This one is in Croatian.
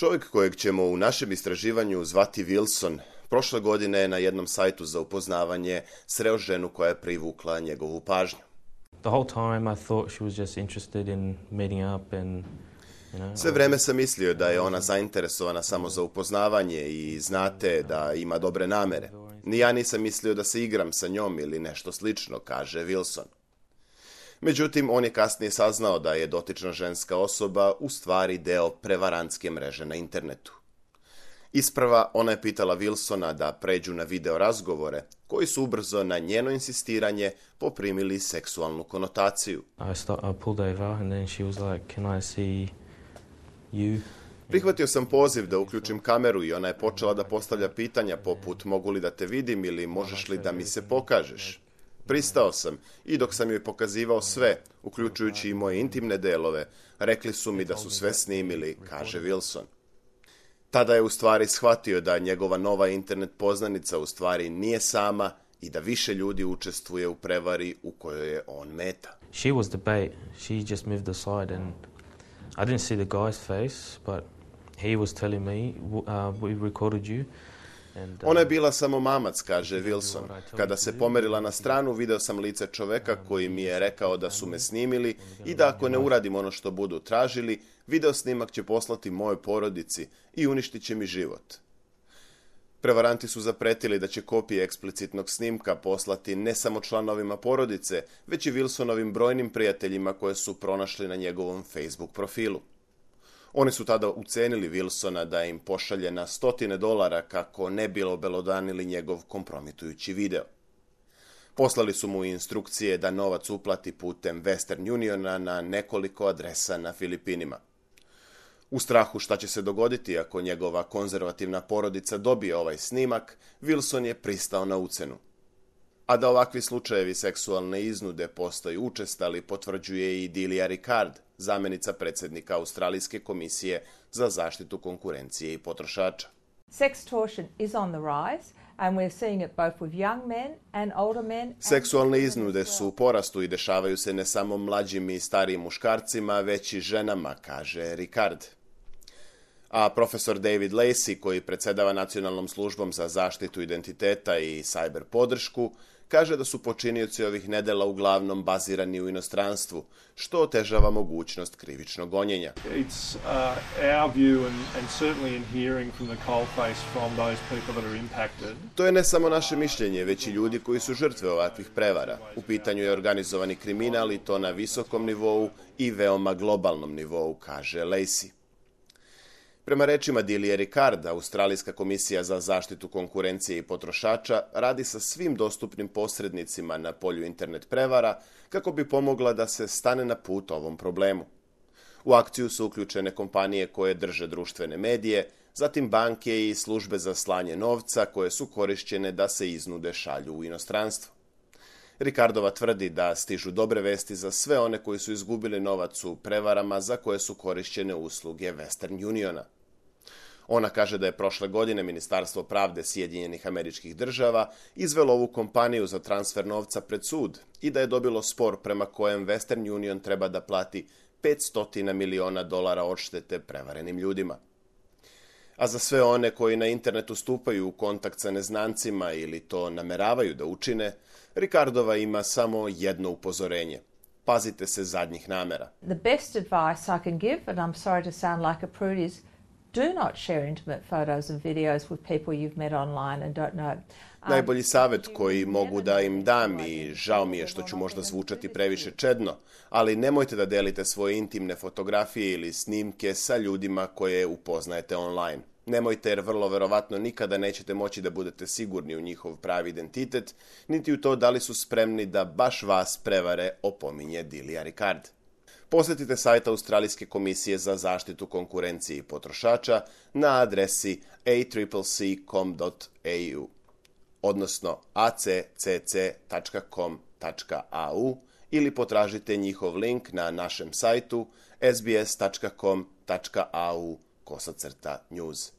Čovjek kojeg ćemo u našem istraživanju zvati Wilson, prošle godine je na jednom sajtu za upoznavanje sreo ženu koja je privukla njegovu pažnju. The whole time I thought she was just interested in meeting up and Sve vreme sam mislio da je ona zainteresovana samo za upoznavanje i znate da ima dobre namere. Ni ja nisam mislio da se igram sa njom ili nešto slično, kaže Wilson. Međutim, on je kasnije saznao da je dotična ženska osoba u stvari deo prevarantske mreže na internetu. Isprva ona je pitala Wilsona da pređu na video razgovore, koji su ubrzo na njeno insistiranje poprimili seksualnu konotaciju. I pulled over and then she was like, "Can I see you?" Prihvatio sam poziv da uključim kameru i ona je počela da postavlja pitanja poput mogu li da te vidim ili možeš li da mi se pokažeš. Pristao sam i dok sam joj pokazivao sve, uključujući i moje intimne delove, rekli su mi da su sve snimili, kaže Wilson. Tada je u stvari shvatio da njegova nova internet poznanica u stvari nije sama i da više ljudi učestvuje u prevari u kojoj je on meta. She was the bait. She just moved aside and I didn't see the guy's face, but he was telling me, we recorded you. Ona je bila samo mamac, kaže Wilson. Kada se pomerila na stranu, video sam lice čoveka koji mi je rekao da su me snimili i da ako ne uradim ono što budu tražili, video snimak će poslati mojoj porodici i uništit će mi život. Prevaranti su zapretili da će kopije eksplicitnog snimka poslati ne samo članovima porodice, već i Wilsonovim brojnim prijateljima koje su pronašli na njegovom Facebook profilu. Oni su tada ucenili Wilsona da im pošalje na $100 kako ne bi obelodanili njegov kompromitujući video. Poslali su mu instrukcije da novac uplati putem Western Uniona na nekoliko adresa na Filipinima. U strahu šta će se dogoditi ako njegova konzervativna porodica dobije ovaj snimak, Wilson je pristao na ucenu. A da ovakvi slučajevi seksualne iznude postaju učestali, potvrđuje i Delia Ricard, zamjenica predsjednika Australijske komisije za zaštitu konkurencije i potrošača. Sextortion is on the rise and we're seeing it both with young men and older men. Seksualne iznude su u porastu i dešavaju se ne samo mlađim i starijim muškarcima, već i ženama, kaže Ricard. A profesor David Lacey, koji predsjedava Nacionalnom službom za zaštitu identiteta i cyber podršku, kaže da su počinioci ovih nedela uglavnom bazirani u inostranstvu, što otežava mogućnost krivičnog gonjenja. It's our view and certainly in hearing from the coalface from those people that are impacted. To je ne samo naše mišljenje, već i ljudi koji su žrtve ovakvih prevara. U pitanju je organizovani kriminal i to na visokom nivou i veoma globalnom nivou, kaže Lacey. Prema rečima Delia Ricard, Australijska komisija za zaštitu konkurencije i potrošača radi sa svim dostupnim posrednicima na polju internet prevara kako bi pomogla da se stane na put ovom problemu. U akciju su uključene kompanije koje drže društvene medije, zatim banke i službe za slanje novca koje su korišćene da se iznude šalju u inostranstvo. Ricardova tvrdi da stižu dobre vesti za sve one koji su izgubili novac u prevarama za koje su korišćene usluge Western Uniona. Ona kaže da je prošle godine Ministarstvo pravde Sjedinjenih Američkih Država izvelo ovu kompaniju za transfer novca pred sud i da je dobilo spor prema kojem Western Union treba da plati $500 miliona odštete prevarenim ljudima. A za sve one koji na internetu stupaju u kontakt sa neznancima ili to nameravaju da učine, Ricardova ima samo jedno upozorenje. Pazite se zadnjih namera. The best advice I can give, and I'm sorry to sound like a prude, is do not share intimate photos and videos with people you've met online and don't know. Najbolji savjet koji mogu da im dam, i žao mi je što ću možda zvučati previše čedno, ali nemojte da delite svoje intimne fotografije ili snimke sa ljudima koje upoznajete online. Nemojte, jer vrlo verovatno nikada nećete moći da budete sigurni u njihov pravi identitet, niti u to da li su spremni da baš vas prevare, opominje Delia Ricard. Posjetite sajt Australijske komisije za zaštitu konkurencije i potrošača na adresi accc.com.au, odnosno accc.com.au, ili potražite njihov link na našem sajtu sbs.com.au/news.